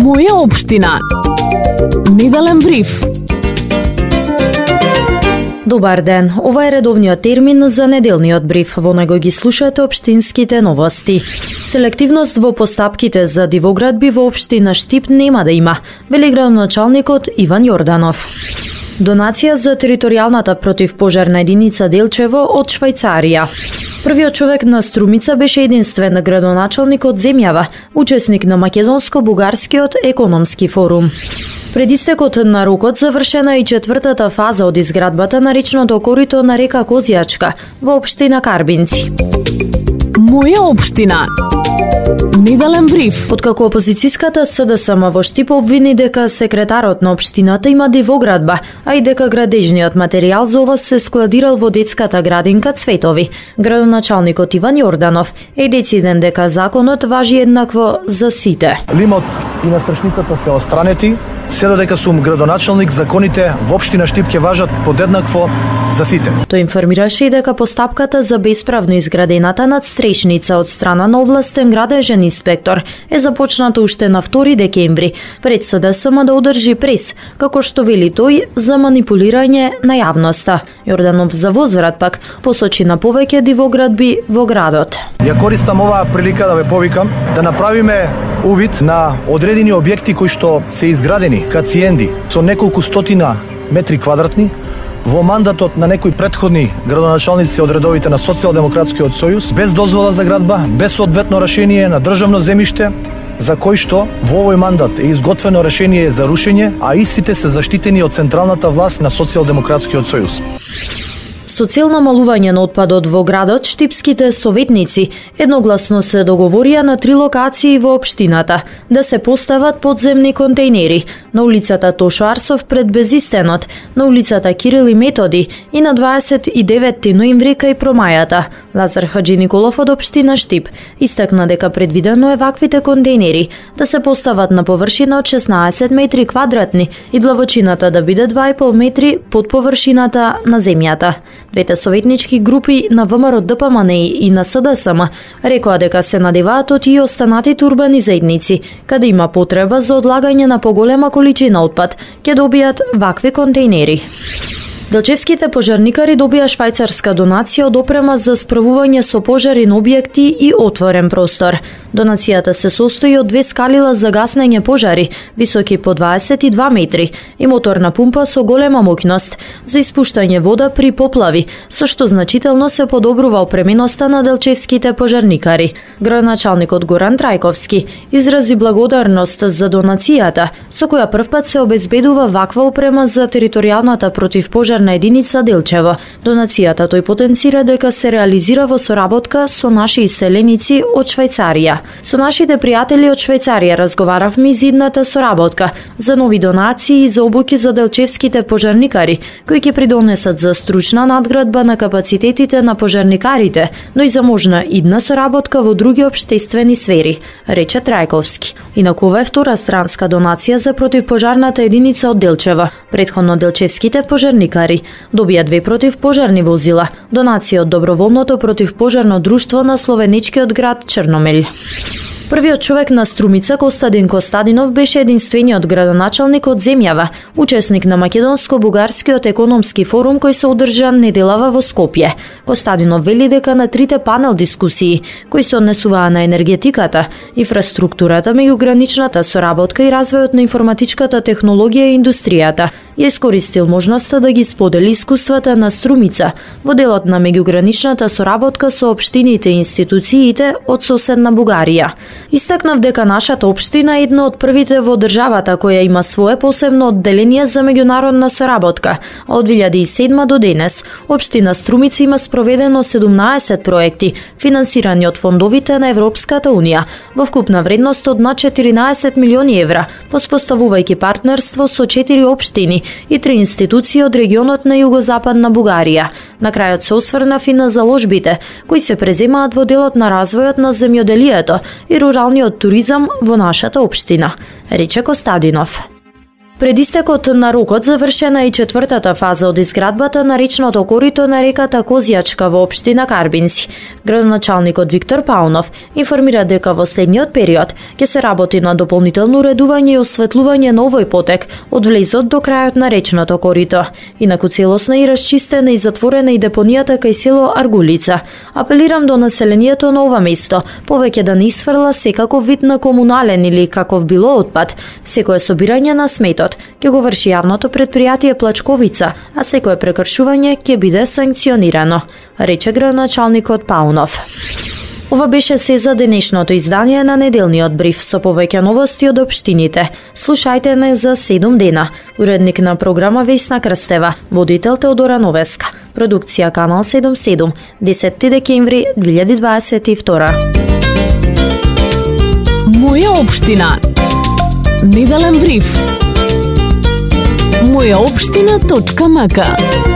Моја општина. Неделен бриф. Добар ден, ова е редовниот термин за неделниот бриф. Во него ги слушате општинските новости. Селективност во постапките за дивоградби во општина Штип нема да има, вели градоначалникот Иван Јорданов. Донација за територијалната противпожарна единица Делчево од Швајцарија. Првиот човек на Струмица беше единствен градоначалник од земјава, учесник на Македонско-бугарскиот економски форум. Пред истекот на рокот завршена и четвртата фаза од изградбата на речното корито на река Козјачка во општина Карбинци. Моја општина. Неделен бриф. Откако опозицијската СДСМ во Штип обвини дека секретарот на општината има дивоградба, а и дека градежниот материјал за ова се складирал во детската градинка Цветови, градоначалникот Иван Јорданов е дециден дека законот важи еднакво за сите. Лимот и настрашницата се остранети, се додека сум градоначалник, законите во општина Штип ќе важат подеднакво за сите. Тој информираше и дека постапката за бесправно изградената надстрешница од страна на овластен градежен инспектор е започната уште на 2 декември, пред СДСМ да одржи прес, како што вели тој, за манипулирање на јавноста. Јорданов за возврат пак посочи на повеќе дивоградби во градот. Ја користам оваа прилика да ве повикам да направиме увид на одредени објекти кои што се изградени кациенди со неколку стотина метри квадратни во мандатот на некои претходни градоначалници од редовите на Социјалдемократскиот сојуз, без дозвола за градба, без соодветно решение на државно земјиште, за кој што во овој мандат е изготвено решение за рушење, а истите се заштитени од централната власт на Социјалдемократскиот сојуз. Со цел намалување на отпадот во градот, штипските советници едногласно се договорија на 3 локации во општината да се постават подземни контејнери на улицата Тошо Арсов пред Безистенот, на улицата Кирил и Методи и на 29 ноември кај Промајата. Лазар Хаджи Николов од општина Штип истакна дека предвидено е ваквите контејнери да се постават на површина од 16 метри квадратни и длабочината да биде 2,5 метри под површината на земјата. Двете советнички групи на ВМРО ДПМН и на СДСМ рекоа дека се надеваат од и останатите урбани заедници, каде има потреба за одлагање на поголема количина отпад, ќе добијат вакви контејнери. Делчевските пожарникари добија швајцарска донација од опрема за справување со пожари на објекти и отворен простор. Донацијата се состои од 2 скалила за гаснење пожари, високи по 22 метри, и моторна пумпа со голема моќност за испуштање вода при поплави, со што значително се подобрува опременоста на делчевските пожарникари. Градоначалникот Горан Трајковски изрази благодарност за донацијата, со која првпат се обезбедува ваква опрема за територијалната противпожарна единица Делчево. Донацијата тој потенцира дека се реализира во соработка со наши иселеници од Швајцарија. Со нашите пријатели од Швајцарија разговаравме за идната соработка, за нови донации и за обуки за делчевските пожарникари, кои ќе придонесат за стручна надградба на капацитетите на пожарникарите, но и за можна идна соработка во други општествени сфери, рече Трајковски. Инаку ова е втора странска донација за противпожарната единица од Делчево. Претходно делчевските пожарникари добија 2 противпожарни возила, донација од доброволното противпожарно друштво на словеничкиот град Черномелј. Првиот човек на Струмица, Костадин Костадинов, беше единствениот градоначалник од земјава, учесник на Македонско-бугарскиот економски форум кој се одржа неделава во Скопје. Костадинов вели дека на 3 панел дискусии, кои се однесуваа на енергетиката, инфраструктурата, меѓуграничната соработка и развојот на информатичката технологија и индустријата, ја искористил можноста да ги сподели искуствата на Струмица во делот на меѓуграничната соработка со општините и институциите од соседна Бугарија. Истакнав дека нашата општина е една од првите во државата која има свое посебно одделение за меѓународна соработка, а од 2007 до денес општина Струмица има спроведено 17 проекти финансирани од фондовите на Европската унија во вкупна вредност од над 14 милиони евра, воспоставувајќи партнерство со 4 општини и 3 институции од регионот на југозападна Бугарија. На крајот се осврнав и на заложбите кои се преземаат во делот на развојот на земјоделието и руралниот туризам во нашата општина, рече Костадинов. Пред истекот на рокот завршена и четвртата фаза од изградбата на речното корито на реката Козијачка во општина Карбинци. Градоначалникот Виктор Паунов информира дека во следниот период ќе се работи на дополнително уредување и осветлување на овој потек од влезот до крајот на речното корито. Инаку целосно и расчистена и затворена и депонијата кај село Аргулица. Апелирам до населението на ова место повеќе да не исфрла секаков вид на комунален или каков било отпад. Секое собирање на сметот ќе го врши јавното претпријатие Плачковица, а секое прекршување ќе биде санкционирано, рече градоначалникот Паунов. Ова беше се за денешното издание на неделниот бриф со повеќе новости од општините. Слушајте не за 7 дена. Уредник на програма Весна Крстева, водител Теодора Новеска. Продукција Канал 77, 10 декември 2022. Моја општина. Неделен бриф. Мојаопштина.мк